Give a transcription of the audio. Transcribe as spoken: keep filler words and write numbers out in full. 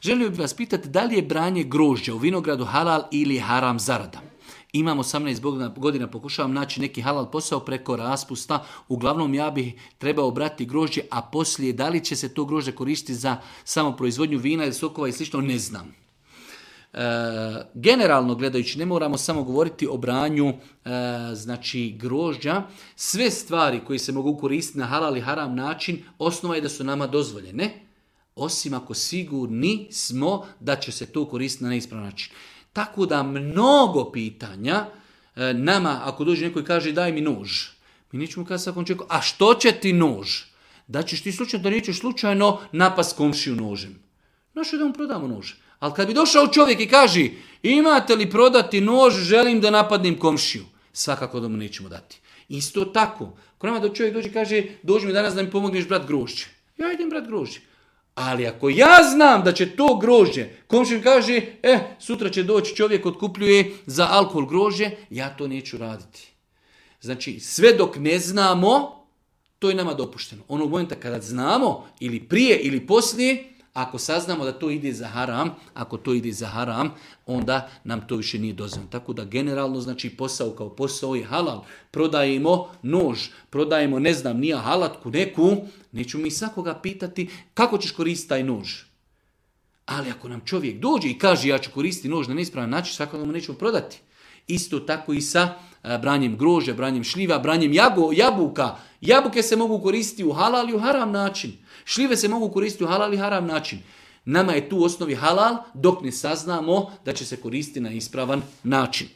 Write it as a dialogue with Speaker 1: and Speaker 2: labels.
Speaker 1: Želio bih vas pitati da li je branje grožđa u vinogradu halal ili haram zarada. Imam osamnaest godina, pokušavam naći neki halal posao preko raspusta. Uglavnom ja bih trebao brati grožđe, a poslije da li će se to grožđe koristiti za samo proizvodnju vina ili sokova i slično, ne znam. E, generalno gledajući, ne moramo samo govoriti o branju e, znači grožđa. Sve stvari koje se mogu koristiti na halal i haram način, osnova je da su nama dozvoljene, osim ako sigurni smo da će se to koristiti na neispravan način. Tako da mnogo pitanja, e, nama ako dođe neko i kaže daj mi nož, mi nećemo kazati svakom čovjeku, a što će ti nož? Da ćeš ti slučajno, da nećeš slučajno napast komšiju nožem. Našo da mu prodamo nož. Ali kad bi došao čovjek i kaže imate li prodati nož, želim da napadnem komšiju, svakako da mu nećemo dati. Isto tako, ako nama da čovjek dođe i kaže dođi mi danas da mi pomogneš brat grožđe, ja idem brat grožđe. Ali ako ja znam da će to grožđe, komšija kaže, e, sutra će doći čovjek otkupljuje za alkohol grožđe, ja to neću raditi. Znači, sve dok ne znamo, to je nama dopušteno. Onog momenta kada znamo, ili prije ili poslije, ako saznamo da to ide za haram, ako to ide za haram, onda nam to više nije dozvoljeno. Tako da generalno, znači, posao kao posao je halal. Prodajemo nož, prodajemo, ne znam, nije halatku neku, neću mi svakoga pitati kako ćeš koristiti taj nož. Ali ako nam čovjek dođe i kaže ja ću koristiti nož na neispravan način, svakoga mu nećemo prodati. Isto tako i sa a, branjem grožđa, branjem šljiva, branjem jago, jabuka. Jabuke se mogu koristiti u halal i u haram način. Šljive se mogu koristiti u halal i haram način. Nama je tu u osnovi halal dok ne saznamo da će se koristiti na ispravan način.